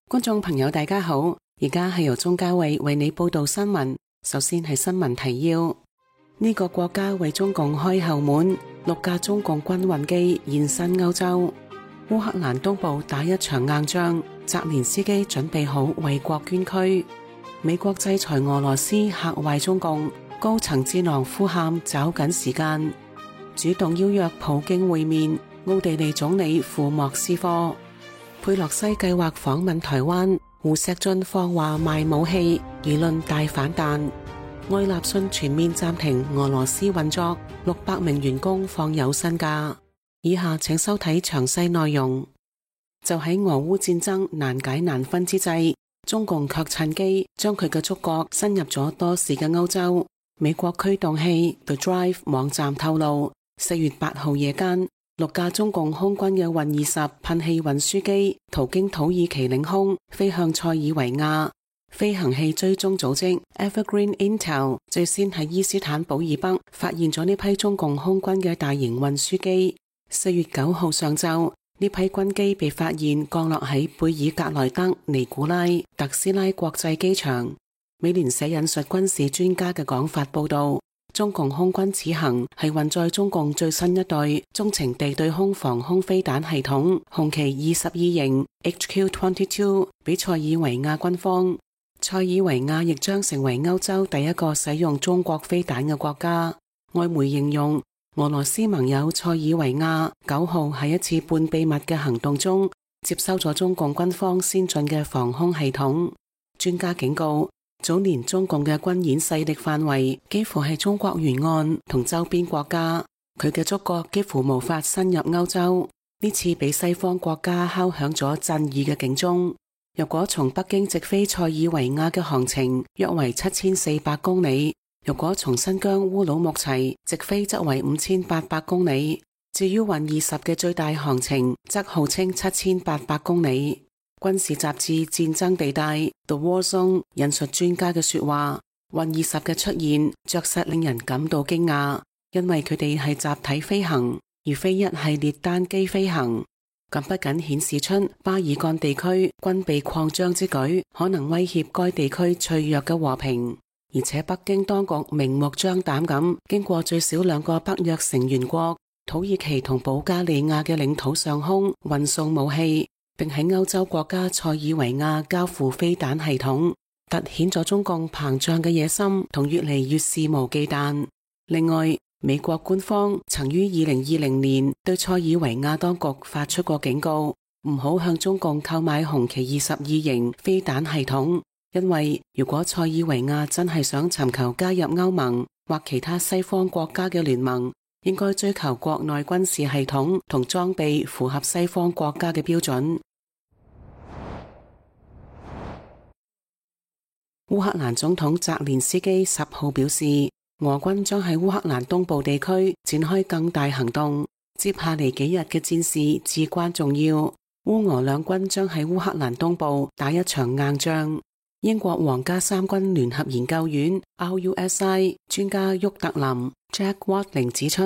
觀眾朋友大家好，而家係由鍾嘉慧為你報道新聞。首先係新聞提要：呢個國家為中共開後門，6架中共軍運機現身歐洲。烏克蘭東部打一場硬仗，澤連斯基準備好為國捐軀。美國制裁俄羅斯嚇壞中共，高層智囊呼喊找緊時間，主動邀約普京會面。奧地利總理赴莫斯科。佩洛西計劃訪問台灣，胡錫進放話賣武器，輿論大反彈。愛立信全面暫停俄羅斯運作，600名員工放有薪假。以下請收睇詳細內容。就喺俄烏戰爭難解難分之際，中共卻趁機將佢嘅觸角伸入咗多時嘅歐洲。美國驅動器 The Drive 網站透露，4月8號夜間，6架中共空軍嘅運20噴氣運輸機途經土耳其領空，飛向塞爾維亞。飛行器追蹤組織 Evergreen Intel 最先喺伊斯坦堡以北發現咗呢批中共空軍嘅大型運輸機。4月9號上晝，呢批軍機被發現降落喺貝爾格萊德尼古拉特斯拉國際機場。美聯社引述軍事專家嘅講法報道，中共空軍此行係運載中共最新一代中程地對空防空飛彈系統紅旗22型 HQ-22 俾塞爾維亞軍方。塞爾維亞亦將成為歐洲第一個使用中國飛彈嘅國家。外媒形容俄羅斯盟友塞爾維亞9號喺一次半秘密嘅行動中接收咗中共軍方先進嘅防空系統。專家警告，早年中共嘅軍演勢力範圍幾乎係中國沿岸同周邊國家，佢嘅觸角幾乎無法深入歐洲。呢次俾西方國家敲響咗震耳嘅警鐘。若果從北京直飛塞爾維亞嘅航程約為7400公里，若果從新疆烏魯木齊直飛則為5800公里，至於運20嘅最大航程則號稱7800公里。軍事雜誌《戰爭地帶》The War Zone 引述專家嘅說話，運20嘅出現着實令人感到驚訝，因為佢哋係集體飛行，而非一系列單機飛行。咁不僅顯示出巴爾幹地區軍備擴張之舉可能威脅該地區脆弱嘅和平，而且北京當局明目張膽咁經過最少2個北約成員國土耳其同保加利亞嘅領土上空運送武器，並喺歐洲國家塞爾維亞交付飛彈系統，凸顯咗中共膨脹嘅野心同越嚟越肆無忌憚。另外，美國官方曾於2020年對塞爾維亞當局發出過警告，唔好向中共購買紅旗22型飛彈系統，因為如果塞爾維亞真係想尋求加入歐盟或其他西方國家嘅聯盟，應該追求國內軍事系統同裝備符合西方國家嘅標準。烏克蘭總統澤連斯基10號表示，俄軍將喺烏克蘭東部地區展開更大行動，接下嚟幾日嘅戰事至關重要。烏俄兩軍將喺烏克蘭東部打一場硬仗。英國皇家三軍聯合研究院 RUSI 專家沃特林 Jack Watling 指出，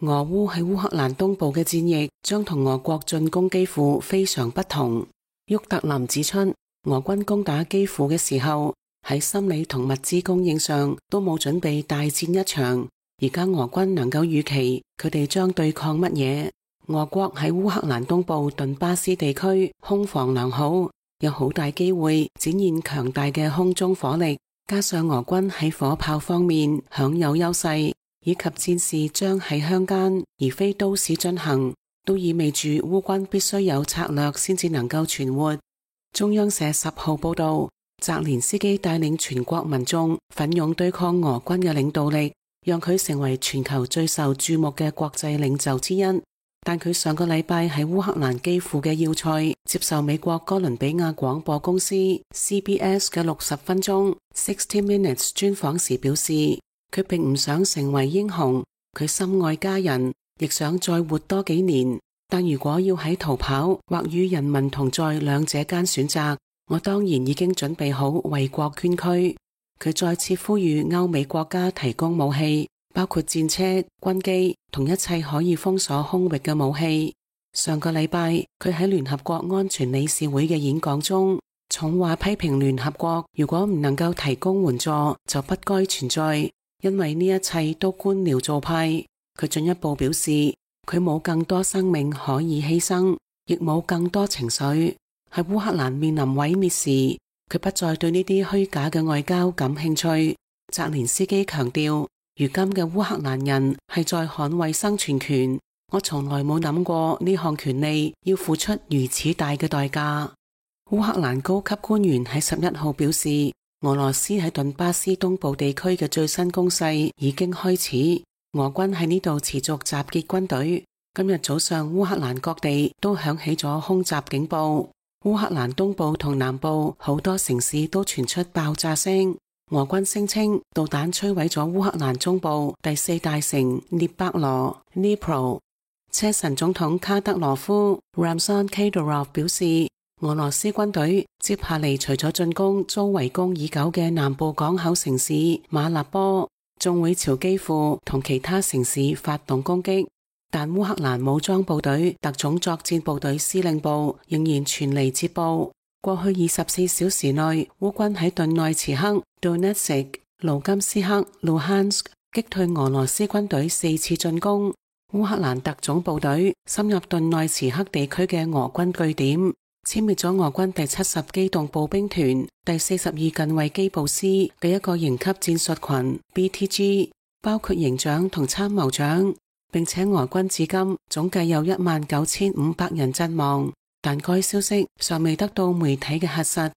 俄烏喺烏克蘭東部嘅戰役將同俄國進攻基輔非常不同。沃特林指出，俄軍攻打基輔嘅時候，喺心理同物資供應上都冇準備大戰一場，而家俄軍能夠預期佢哋將對抗乜嘢。俄國喺烏克蘭東部頓巴斯地區空防良好，有好大機會展現強大嘅空中火力，加上俄軍喺火炮方面享有優勢，以及戰事將喺鄉間而非都市進行，都意味住烏軍必須有策略先至能夠存活。中央社10號報道，澤連斯基帶領全國民眾奮勇對抗俄軍嘅領導力，讓佢成為全球最受注目嘅國際領袖之一。但佢上個禮拜喺烏克蘭基輔嘅要塞接受美國哥倫比亞廣播公司 CBS 嘅60分鐘60 Minutes 專訪時表示，佢並唔想成為英雄，佢深愛家人，亦想再活多幾年。但如果要喺逃跑或與人民同在兩者間選擇，我當然已經準備好為國捐軀。佢再次呼籲歐美國家提供武器，包括戰車、軍機同一切可以封鎖空域嘅武器。上個禮拜，佢喺聯合國安全理事會嘅演講中，重話批評聯合國如果唔能夠提供援助，就不該存在，因為呢一切都官僚做派。佢進一步表示，佢冇更多生命可以犧牲，亦冇更多情緒。喺烏克蘭面臨毀滅時，佢不再對呢啲虛假嘅外交感興趣。澤連斯基強調，如今嘅烏克蘭人係在捍衛生存權，我從來冇諗過呢項權利要付出如此大嘅代價。烏克蘭高級官員喺11號表示，俄羅斯喺頓巴斯東部地區嘅最新攻勢已經開始，俄軍喺呢度持續集結軍隊。今日早上烏克蘭各地都響起咗空襲警報，烏克蘭東部同南部好多城市都傳出爆炸聲。俄軍聲稱導彈摧毀咗烏克蘭中部第4大城聶伯羅 Dnipro。車臣總統卡德羅夫 Ramzan Kadyrov 表示，俄羅斯軍隊接下嚟除咗進攻遭圍攻已久嘅南部港口城市馬立波，仲會朝基輔同其他城市發動攻擊。但烏克蘭武裝部隊特種作戰部隊司令部仍然傳嚟捷報，過去24小時內，烏軍喺頓內茨克、Donetsk、盧甘斯克、Luhansk 擊退俄羅斯軍隊4次進攻。烏克蘭特種部隊深入頓內茨克地區嘅俄軍據點，殲滅咗俄軍第70機動步兵團第42近衛機步師嘅一個營級戰術群 BTG， 包括營長同參謀長，並且俄軍至今總計有19500人陣亡，但該消息尚未得到媒體嘅核實。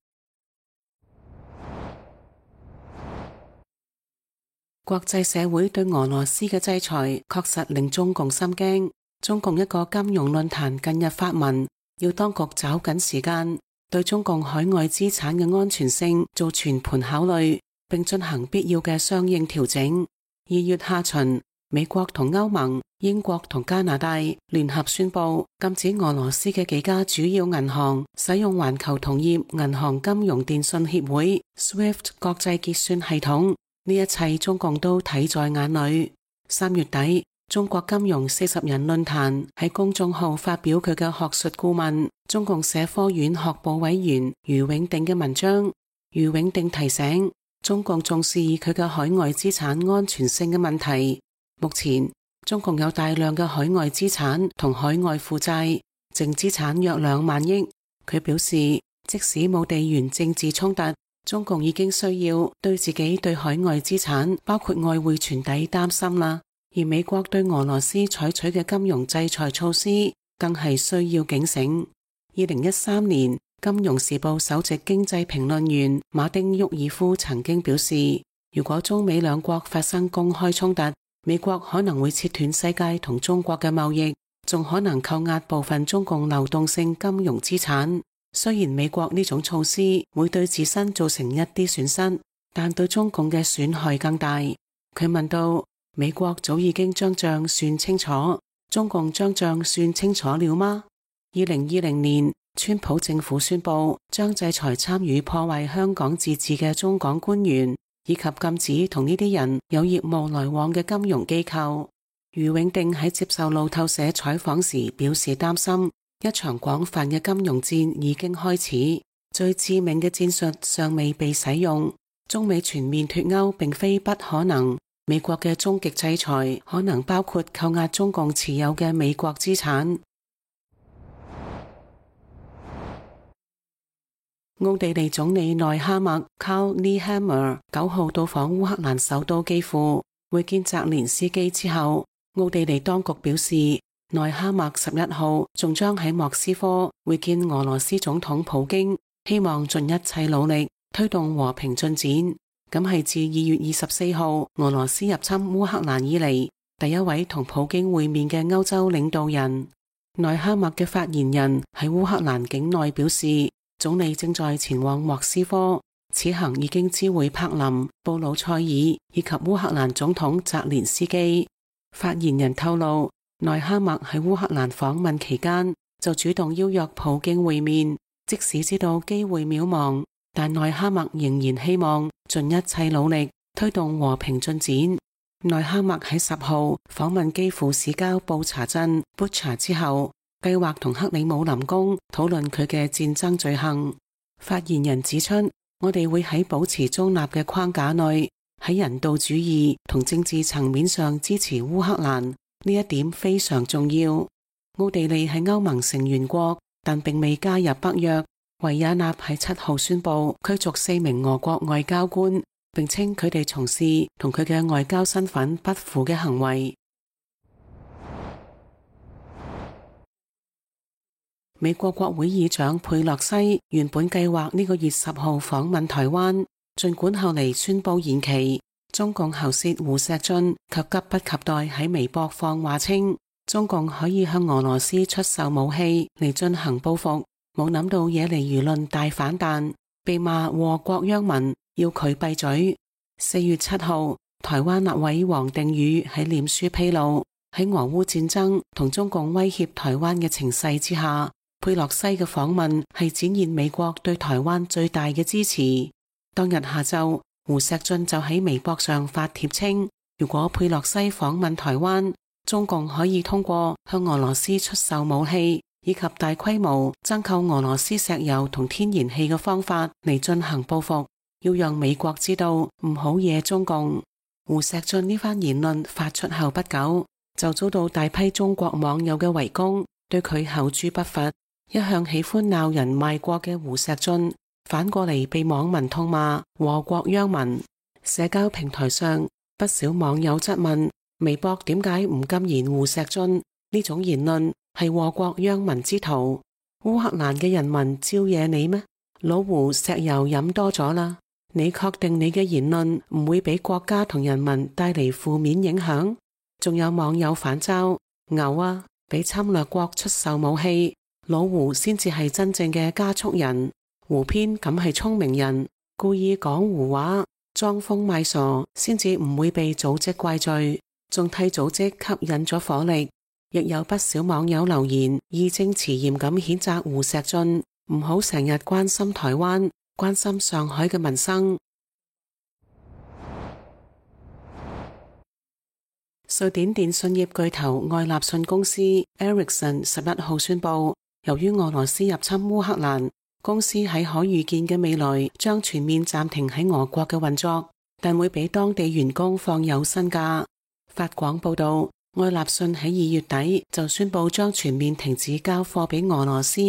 國際社會對俄羅斯嘅制裁確實令中共心驚。中共一個金融論壇近日發文，要當局抓緊時間對中共海外資產嘅安全性做全盤考慮，並進行必要嘅相應調整。2月下旬，美國同歐盟、英國同加拿大聯合宣布禁止俄羅斯嘅幾家主要銀行使用環球同業銀行金融電訊協會 SWIFT 國際結算系統。呢一切中共都睇在眼裏。3月底，中國金融40人論壇喺公眾號發表佢嘅學術顧問、中共社科院學部委員余永定嘅文章。余永定提醒，中共重視佢嘅海外資產安全性嘅問題。目前，中共有大量嘅海外資產同海外負債，淨資產約2萬億。佢表示，即使冇地緣政治衝突，中共已經需要對自己對海外資產，包括外匯存底擔心啦。而美國對俄羅斯採取嘅金融制裁措施，更係需要警醒。2013年，《金融時報》首席經濟評論員馬丁沃爾夫曾經表示，如果中美兩國發生公開衝突，美國可能會切斷世界同中國嘅貿易，仲可能扣押部分中共流動性金融資產。雖然美國呢種措施會對自身造成一啲損失，但對中共嘅損害更大。佢問道，美國早已經將賬算清楚，中共將賬算清楚了嗎？2020年，川普政府宣布將制裁參與破壞香港自治嘅中港官員，以及禁止同呢啲人有業務來往嘅金融機構。余永定喺接受路透社採訪時表示擔心，一場廣泛嘅金融戰已經開始，最致命嘅戰術尚未被使用。中美全面脫鈎並非不可能，美國嘅終極制裁可能包括扣押中共持有嘅美國資產。奧地利總理內哈默 Karl Nehammer 9號到訪烏克蘭首都基輔，會見澤連斯基之後，奧地利當局表示，內哈默11號仲將喺莫斯科會見俄羅斯總統普京，希望盡一切努力推動和平進展。咁係自2月24號俄羅斯入侵烏克蘭以嚟第一位同普京會面嘅歐洲領導人。內哈默嘅發言人喺烏克蘭境內表示，總理正在前往莫斯科，此行已經知會柏林、布魯塞爾以及烏克蘭總統澤連斯基。發言人透露，內哈默喺烏克蘭訪問期間就主動邀約普京會面，即使知道機會渺茫，但內哈默仍然希望盡一切努力推動和平進展。內哈默喺10號訪問基輔市郊布查鎮 Bucha 之後，計劃同克里姆林宮討論佢嘅戰爭罪行。發言人指出，我哋會喺保持中立嘅框架內，喺人道主義同政治層面上支持烏克蘭，呢一點非常重要。奧地利係歐盟成員國，但並未加入北約。維也納喺7號宣布驅逐4名俄國外交官，並稱佢哋從事同佢嘅外交身份不符嘅行為。美國國會議長佩洛西原本計劃呢個月10號訪問台灣，儘管後嚟宣布延期。中共喉舌胡錫進卻急不及待喺微博放話稱，中共可以向俄羅斯出售武器嚟進行報復。冇諗到惹嚟輿論大反彈，被罵禍國殃民，要佢閉嘴。4月7號，台灣立委王定宇喺臉書披露，喺俄烏戰爭同中共威脅台灣嘅情勢之下，佩洛西嘅訪問係展現美國對台灣最大嘅支持。當日下晝，胡錫進就喺微博上發帖稱，如果佩洛西訪問台灣，中共可以通過向俄羅斯出售武器以及大規模增購俄羅斯石油同天然氣嘅方法嚟進行報復，要讓美國知道唔好惹中共。胡錫進呢番言論發出後不久，就遭到大批中國網友嘅圍攻，對佢口誅筆伐。一向喜歡鬧人賣國嘅胡錫進，反過嚟被網民痛罵禍國殃民。社交平台上不少網友質問，微博點解唔禁言胡錫進呢種言論係禍國殃民之徒？烏克蘭嘅人民招惹你咩？老胡石油飲多咗啦，你確定你嘅言論唔會俾國家同人民帶嚟負面影響？仲有網友反嘲，牛啊，俾侵略國出售武器，老胡先至係真正嘅加速人。胡編咁係聰明人，故意講胡話，裝瘋賣傻，先至唔會被組織怪罪，仲替組織吸引咗火力。亦有不少網友留言，義正辭嚴咁譴責胡錫進，唔好成日關心台灣，關心上海嘅民生。瑞典電信業巨頭愛立信公司 Ericsson 11號宣布，由於俄羅斯入侵烏克蘭，公司喺可預見嘅未來將全面暫停喺俄國嘅運作，但會俾當地員工放有薪假。法廣報道，愛立信喺2月底就宣布將全面停止交貨俾俄羅斯。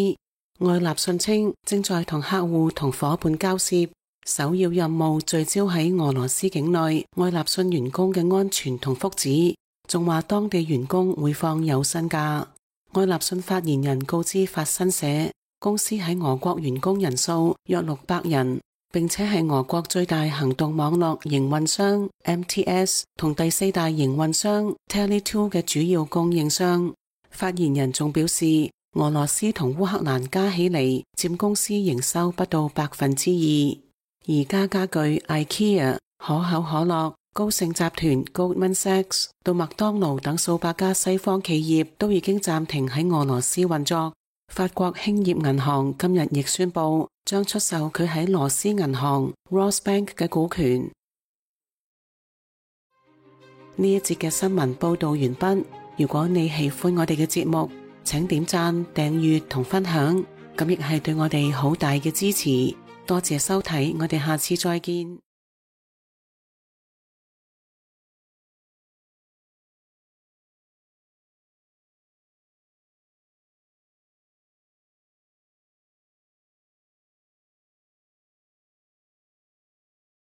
愛立信稱正在同客戶同夥伴交涉，首要任務聚焦喺俄羅斯境內愛立信員工嘅安全同福祉，仲話當地員工會放有薪假。愛立信發言人告知法新社，公司喺俄國員工人數約600人，並且係俄國最大行動網絡營運商 MTS 同第4大營運商 Tele2 嘅主要供應商。發言人仲表示，俄羅斯同烏克蘭加起嚟佔公司營收不到2%。宜家家具 IKEA、可口可樂、高盛集團 Goldman Sachs 到麥當勞等數百家西方企業都已經暫停喺俄羅斯運作。法國興業銀行今日亦宣布將出售佢喺羅斯銀行 Rosbank 嘅股權。呢一節嘅新聞報道完畢。如果你喜歡我哋嘅節目，請點讚、訂閱同分享，咁亦係對我哋好大嘅支持。多謝收睇，我哋下次再見。